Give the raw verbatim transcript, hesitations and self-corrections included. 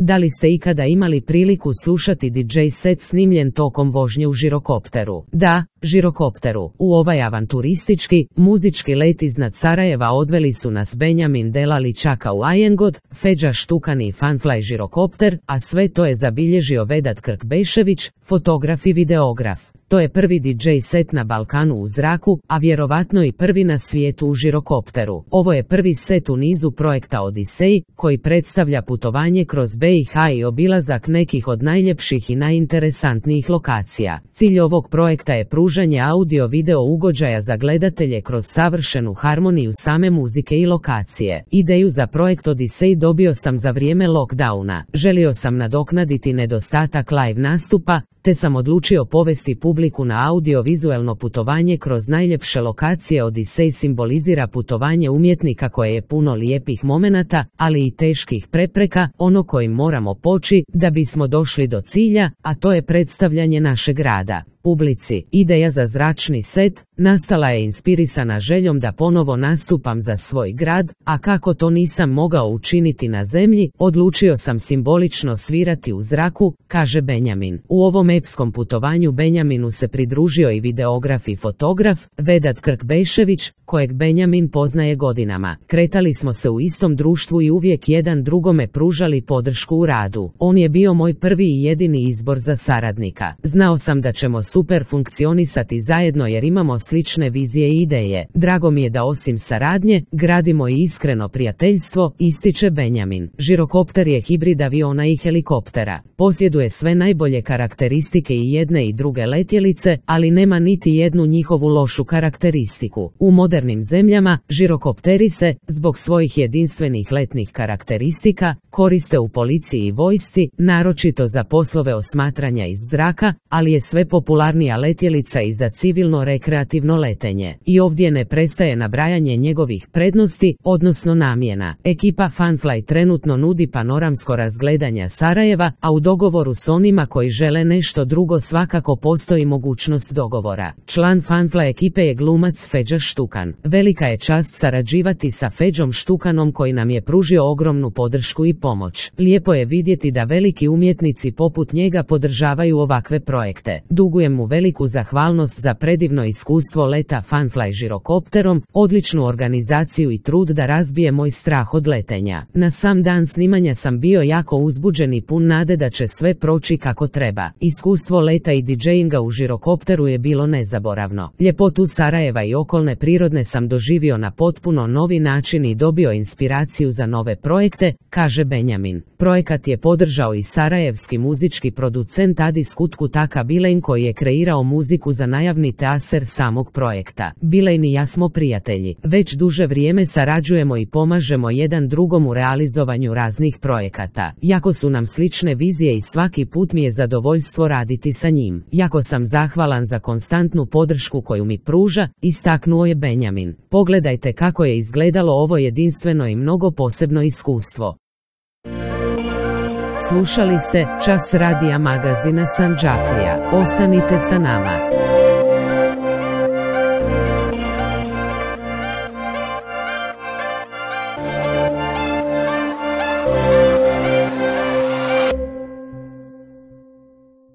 Da li ste ikada imali priliku slušati D J set snimljen tokom vožnje u žirokopteru? Da, žirokopteru. U ovaj avanturistički, muzički let iznad Sarajeva odveli su nas Benjamin Delali Čaka u Ajengod, Feđa Štukan i Funfly žirokopter, a sve to je zabilježio Vedat Krkbešević, fotograf i videograf. To je prvi D J set na Balkanu u zraku, a vjerovatno i prvi na svijetu u žirokopteru. Ovo je prvi set u nizu projekta Odisej, koji predstavlja putovanje kroz B i H i obilazak nekih od najljepših i najinteresantnijih lokacija. Cilj ovog projekta je pružanje audio-video ugođaja za gledatelje kroz savršenu harmoniju same muzike i lokacije. Ideju za projekt Odisej dobio sam za vrijeme lockdowna. Želio sam nadoknaditi nedostatak live nastupa, te sam odlučio povesti publiku na audio-vizuelno putovanje kroz najljepše lokacije. Odisej simbolizira putovanje umjetnika koje je puno lijepih momenata, ali i teških prepreka, ono kojim moramo poći da bismo došli do cilja, a to je predstavljanje našeg rada. Publici. Ideja za zračni set nastala je inspirisana željom da ponovo nastupam za svoj grad, a kako to nisam mogao učiniti na zemlji, odlučio sam simbolično svirati u zraku, kaže Benjamin. U ovom epskom putovanju Benjaminu se pridružio i videograf i fotograf, Vedat Krkbešević, kojeg Benjamin poznaje godinama. Kretali smo se u istom društvu i uvijek jedan drugome pružali podršku u radu. On je bio moj prvi i jedini izbor za saradnika. Znao sam da ćemo super funkcionisati zajedno jer imamo slične vizije i ideje. Drago mi je da osim saradnje, gradimo i iskreno prijateljstvo, ističe Benjamin. Žirokopter je hibrid aviona i helikoptera. Posjeduje sve najbolje karakteristike i jedne i druge letjelice, ali nema niti jednu njihovu lošu karakteristiku. U modernim zemljama, žirokopteri se, zbog svojih jedinstvenih letnih karakteristika, koriste u policiji i vojsci, naročito za poslove osmatranja iz zraka, ali je sve popularnija letjelica i za civilno rekreativno letenje. I ovdje ne prestaje nabrajanje njegovih prednosti, odnosno namjena. Ekipa Funfly trenutno nudi panoramsko razgledanje Sarajeva, a u dogovoru s onima koji žele nešto drugo svakako postoji mogućnost dogovora. Član Funfly ekipe je glumac Feđa Štukan. Velika je čast sarađivati sa Feđom Štukanom koji nam je pružio ogromnu podršku i pomoć. Lijepo je vidjeti da veliki umjetnici poput njega podržavaju ovakve projekte. Dugujem mu veliku zahvalnost za predivno iskustvo leta Funfly žirokopterom, odličnu organizaciju i trud da razbije moj strah od letenja. Na sam dan snimanja sam bio jako uzbuđen i pun nade da će sve proći kako treba. Iskustvo leta i DJinga u žirokopteru je bilo nezaboravno. Ljepotu Sarajeva i okolne prirodne sam doživio na potpuno novi način i dobio inspiraciju za nove projekte, kaže Benjamin. Projekat je podržao i sarajevski muzički producent Adis Kutkutaka Bilein koji je kreirao muziku za najavni teaser samog projekta. Bilein i ja smo prijatelji. Već duže vrijeme sarađujemo i pomažemo jedan drugom u realizovanju raznih projekata. Jako su nam slične vizije i svaki put mi je zadovoljstvo raditi sa njim. Jako sam zahvalan za konstantnu podršku koju mi pruža, istaknuo je Benjamin. Pogledajte kako je izgledalo ovo jedinstveno i mnogo posebno iskustvo. Slušali ste Čas radija magazina Sandžaklija. Ostanite sa nama.